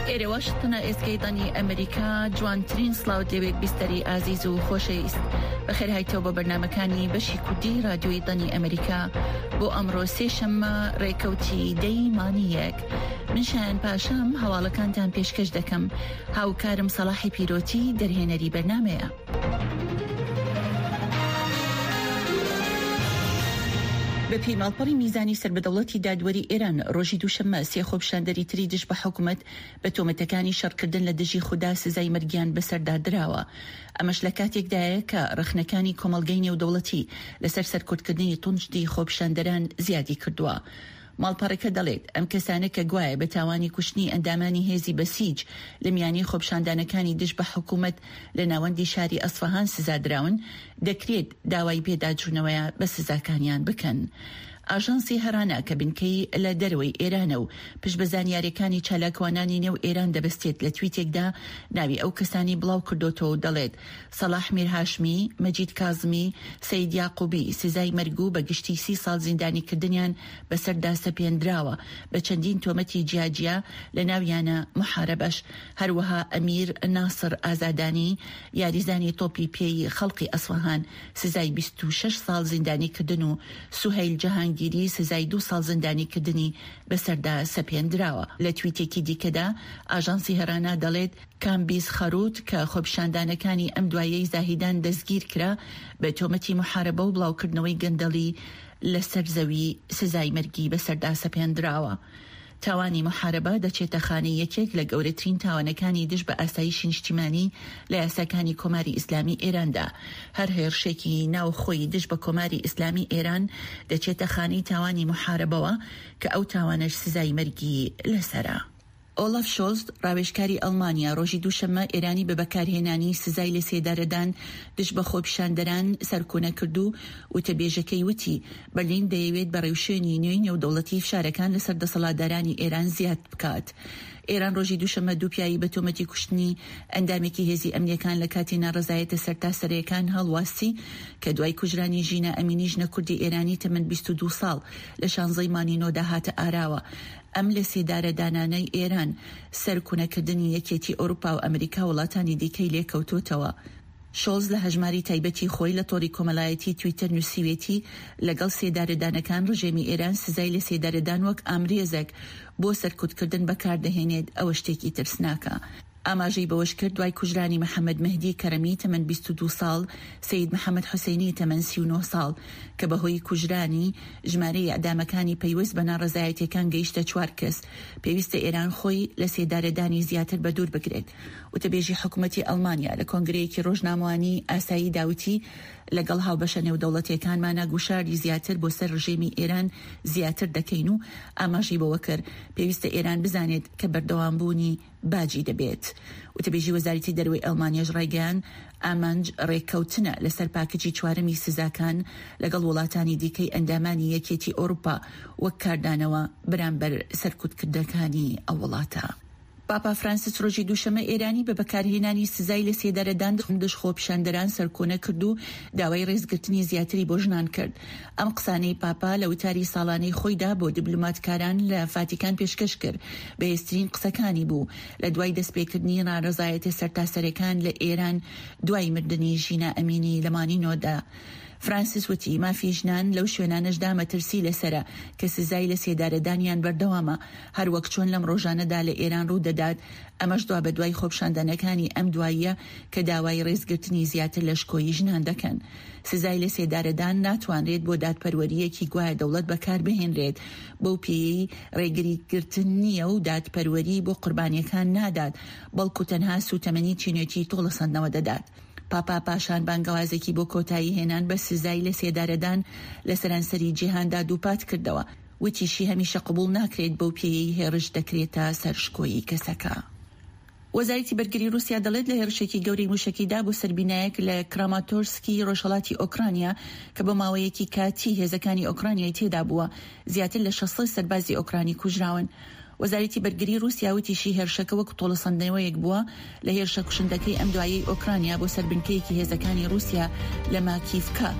ئێرە واشنتنە ئێزگەی دەنگی ئەمریکا جوانترین سڵاوت لەوێت بیستەری ئازیز و خۆشەویست بەخێرهایتەوە بۆ بەرنمەکانی بەشی کوردی رادیۆی دەنگی ئەمریکا بۆ ئەمڕۆ سێشەممە ڕێکەوتی دەی مانگی یەک من شایان پاشام هەواڵەکانتان پێشکەش دەکەم هاوکارم سەڵاحی پیرۆتی دەرهێنەری بەرنمەیە. بەپێی ماڵپەڕی میزانی سەر بە دەوڵەتی دادوەری ئێران، ڕۆژی دووشەممە سێ خۆپیشاندەری تری دژ بە حکومەت بە تۆمەتەکانی شەڕکردن لە دژی خودا سزای مەرگیان بەسەردا دراوە. ئەمەش لە کاتێکدایە کە ڕەخنەکانی کۆمەڵگەی نێودەوڵەتی لەسەر سەرکوتکردنی توندی خۆپیشاندەران زیادی کردووە. ماڵپەڕەکە دەڵێت، ئەم کەسانە کە گوایە بە تاوانی کوشتنی ئەندامانی هێزی بەسیج لە میانەی خۆپیشاندانەکانی دژ بە حکومەت لە ناوەندی شاری ئەسفەهان سزا دراون، دەکرێت داوای پێداچوونەوە بە سزاکانیان بکەن. ئاژانسی هەرانا کە بنکەی لە دەرەوەی ئێرانە و پشت بە زانیارییەکانی چالاکوانانی نێو ئێران دەبەستێت لە تویتێکدا ناوی ئەو کەسانەی بڵاوکردۆتەوە و دەڵێت سەڵاح میرهاشمی، مەجید کازمی، سەید یاقوبی سزای مەرگ و بە گشتی سی ساڵ زیندانیکردنیان بەسەردا سەپێندراوە بە چەندین تۆمەتی جیاجیا لە ناویانە موحارەبەش، هەروەها ئەمیر ناسڕ ئازادانی یاریزانی تۆپی پێی خەڵقی ئەسفەهان سزای 26 ساڵ زیندانیکردن و سوهەیل جەهانگیری سزای دوو ساڵ زیندانیکردنی بەسەردا سەپێندراوە. لە تویتێکی دیکەدا ئاژانسی هەرانا دەڵێت، کامبیز خەروت کە خۆپیشاندانەکانی ئەم دوایەی زاهیدان دەستگیرکرا بە تۆمەتی موحارەبە و بڵاوکردنەوەی گەندەڵی لەسەر زەوی سزای مەرگی بەسەردا سەپێندراوە. تاوانی موحارەبە دەچێتە خانەی یەکێک لە گەورەترین تاوانەکانی دژ بە ئاسایشی نیشتیمانی لە یاساکانی کۆماری ئیسلامی ئێراندا. هەر هێڕشێکی ناوخۆی دژ بە کۆماری ئیسلامی ئێران دەچێتە خانەی تاوانی موحارەبەوە کە ئەو تاوانەش سزای مەرگی لەسەرە. ئۆلاف شۆڵز، ڕاوێژکاری ئەڵمانیا ڕۆژی دووشەممە ئێرانی بە بەکارهێنانی سزای لەسێدارەدان دژ بە خۆپیشاندەران سەرکۆنە کرد و وتەبێژەکەی وتی، بەرلین دەیەوێت بە ڕێوشوێنی نوێی نێودەوڵەتی فشارەکان لەسەر دەسەڵاتدارانی ئێران زیاد بکات. ئێران ڕۆژی دووشەممە دوو پیاوی بە تۆمەتی کوشتنی ئەندامێکی هێزی ئەمنییەکان لە کاتی ناڕەزایەتە سەرتاسەرەیەکان هەڵواسی کە دوای کوژرانی ژینا ئەمینی ژنە کوردی ئێرانی تەمەن 22 ساڵ لە شانزەی مانگی نۆدا هاتە ئاراوە. ئەم لەسێدارەدانانەی ئێران، سەرکونەکردنی یەکێتی ئەوروپا و ئەمریکا و وڵاتانی دیکەی لێکەوتۆتەوە. شۆڵز لە هەژماری تایبەتی خۆی لە تۆڕی کۆمەلایەتی تویتەر نووسیوێتی، لەگەڵ سێدارەدانەکان ڕژێمی ئێران سزای لەسێدارەدان وەک ئامرێزێک بۆ سەرکوتکردن بەکاردەهێنێت، ئەوە شتێکی ترسناکە. ئاماژەی بەوەشکرد، دوای کوژرانی محەمەد مەهدی کەرەمی تەمەن 22 ساڵ، سەید محەمەد حوسەینی تەمەن 39 ساڵ، کە بەهۆی کوژرانی، ژمارەی ئیعدامەکانی پەیوەست بە ناڕەزایەتیەکان گەیشتە چوار کەس، پێویستە ئێران خۆی لە سێدارەدانی زیاتر بەدوور بگرێت. وتەبێژی حکومەتی ئەڵمانیا لە کۆنگرەیەکی ڕۆژنامەوانی ئاساییدا وتی، لەگەڵ هاوبەشە نێودەوڵەتیەکانمانا گوشاری زیاتر بۆ سەر ڕژێمی ئێران زیاتر دەکەین و ئاماژەی بەوەکرد، پێویستە ئێران بزانێت کە بەردەوامبوونی باجی دەبێت. وتەبێژی وەزارەتی دەرەوەی ئەڵمانیاش ڕایگەیاند، ئامانج ڕێککەوتنە لەسەر پاکجی چوارەمی سزاکان لەگەڵ وڵاتانی دیکەی ئەندامانی یەکێتی ئەوروپا وەک کاردانەوە بەرامبەر سەرکوتکردنەکانی ئەو وڵاتە. پاپا فرانسیس ڕۆژی دووشەممە ئێرانی بە بەکارهێنانی سزای لەسێدارەدان دژ خۆپیشاندەران سەرکۆنە کرد و داوای ڕێزگرتنی زیاتری بۆ ژنان کرد. ئەم قسانەی پاپا لە وتاری ساڵانەی خۆیدا بۆ دیبلۆماتکاران لە فاتیکان پێشکەش کرد، بەهێزترین قسەکانی بوو لە دوای دەستپێکردنی ناڕەزایەتیە سەرتاسەرێکان لە ئێران دوای مردنی ژینا ئەمینی لە مانگی نۆدا. فرانسیس وتی، مافی ژنان لەو شوێنانەشدا مەترسی لەسەرە کە سزای لەسێدارەدانیان بەردەوامە، هەروەک چۆن لەم ڕۆژانەدا لە ئێران ڕوودەدات، ئەمەش دوابەدوای خۆپیشاندانەکانی ئەم دواییە کە داوای ڕێزگرتنی زیاتر لە شکۆی ژنان دەکەن. سزای لەسێدارەدان ناتوانرێت بۆ دادپەروەرییەکی گوایە دەوڵەت بەکاربهێنرێت، بەو پێیەی ڕێگریگرتن نییە و دادپەروەری بۆ قوربانییەکان نادات، بەڵکو تەنها سووتەمەنی چینێتی تۆڵەسەندنەوە دەدات. پاپا پاشان بانگەوازێکی بۆ کۆتایی هێنان بە سزای لەسێدارەدان لە سەرانسەری جیهاندا دووپات کردەوە، وتیشی هەمیشە قبوڵ ناکرێت بەو پێیەی هێڕش دەکرێتە سەر شکۆی کەسەکە. وەزارەتی بەرگری رووسیا دەڵێت لە هێرشێکی گەورەی مووشەکیدا بۆ سەر بینایەک لە کراماتۆرسکی رۆژهەڵاتی ئۆکرانیا کە بۆ ماوەیەکی کاتی هێزەکانی ئۆکرانیای تێدا بووە، زیاتر لە 600 سەربازی ئۆکرانی کوژراون. وەزارەتی بەرگری رووسیا وتیشی هێرشەکە وەک تۆڵەسەندنەوەیەک بووە لە هێرشە کوشندەکەی ئەم دوایەی ئۆکرانیا بۆ سەر بنکەیەکی هێزەکانی رووسیا لە ماکیڤکا.